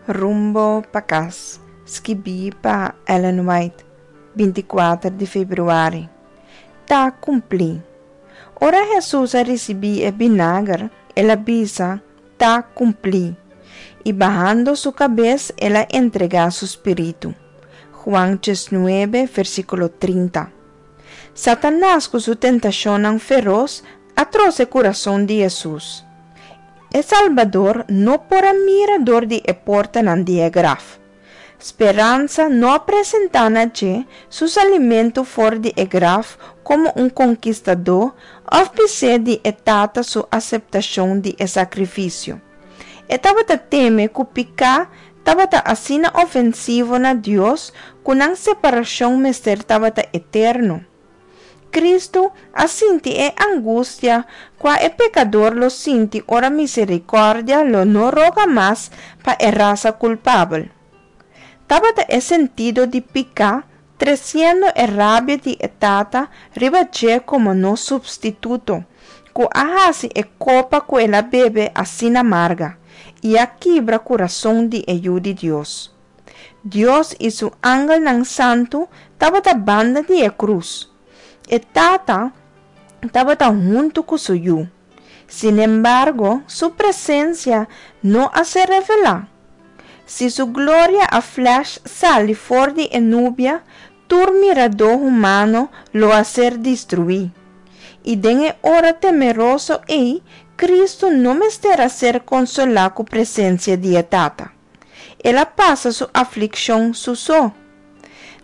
Rumbo pa kas, skibí pa Ellen White, 24 di febrüari. Ta kumplí. Ora Hesus a risibí e binager, el a bisa, Ta kumplí. I bahando su kabes, el a entregá su spiritu. Juan 19, versíkulo 30. Satanas ku su tentashonnan feros a trose kurason di Hesus. E Salbador no por a mira dor di e portanan di e graf. Speransa no a presentá na dje su salimentu for di e graf komo un konkistadó òf bis'é di e Tata su aseptashon di e sakrifisio. E tabata teme ku piká tabata asina ofensivo na Dios ku nan separashon mester tabata eterno. Kristu a sinti e angustia kua e pekador lo sinti ora miserikòrdia lo no roga mas pa e rasa kulpabel. Tabata e sentido di piká tresiendo e rabia di e Tata riba dje komo nos supstituto, ku a hasi e kopa ku el a bebe asina marga, i a kibra kurason di e Yu di Dios. Dios i su angelnan santu tabata banda di e krus. E Tata tabata huntu ku su Yu. Sinembargo, su presensia no a ser revelá. Si su gloria a flash sali for di e nubia, tur miradó humano lo a ser destruí. I den e ora temeroso ei, Kristu no mester a ser konsolá ku presensia di e Tata. El a pasa su aflikshon su so.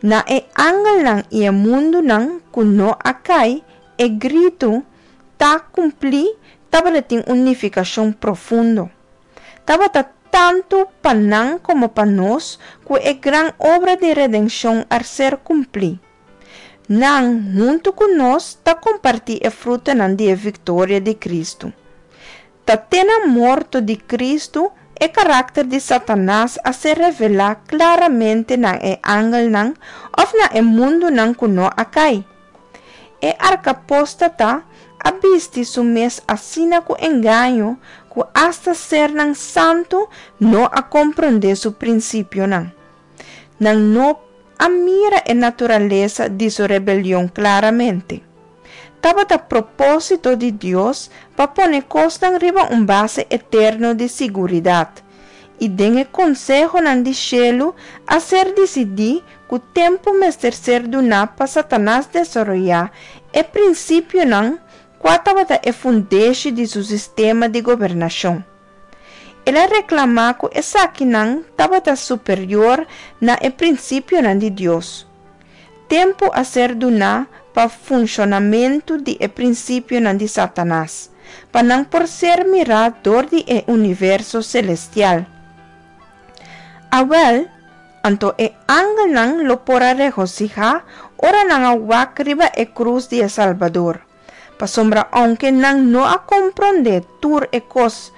Na e angelnan i e mundunan ku no a kai, e gritu, Ta kumplí tabatin un nifikashon profundo. Tabata tantu pa nan komo pa nos ku e gran obra di redenshon a ser kumplí. Nan, huntu ku nos, ta kompartí e frutanan di e viktoria di Kristu. Ta te na morto di Kristu e karakter di Satanas a ser revelá klaramente na e angelnan òf na e mundunan ku no a kai. E arkapóstata a bisti su mes asina ku engaño ku asta sernan santu no a komprondé su prinsipionan. Nan no a mira e naturalesa di su rebelion klaramente. Tabata propósito di Dios pa pone kosnan riba un base eterno di siguridat, i den e konsehonan di shelu a ser disidí ku tempu mester ser duná pa Satanas desaroyá e prinsipionan kua tabata e fundeshi di su sistema di gobernashon. El a reklamá ku esakinan tabata superior na e prinsipionan di Dios. Tempu a ser duná pa funshonamentu di e prinsipionan di Satanas, pa nan por ser mirá dor di e universo selestial. Awèl, anto e angelnan lo por a regosihá ora nan a wak riba e krus di e Salbador, pasobra ounke nan no a komprondé tur e kos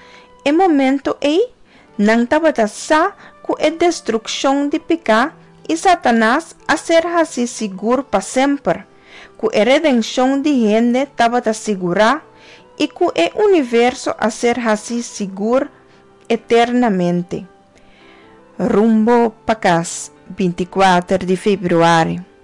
e momento ei, nan tabata sa ku e destrukshon di piká i Satanas a ser hasí sigur pa semper, ku e redenshon di hende tabata sigurá i ku e universo a ser hasí sigur eternamente. Rumbo pa kas, 24 di febrüari.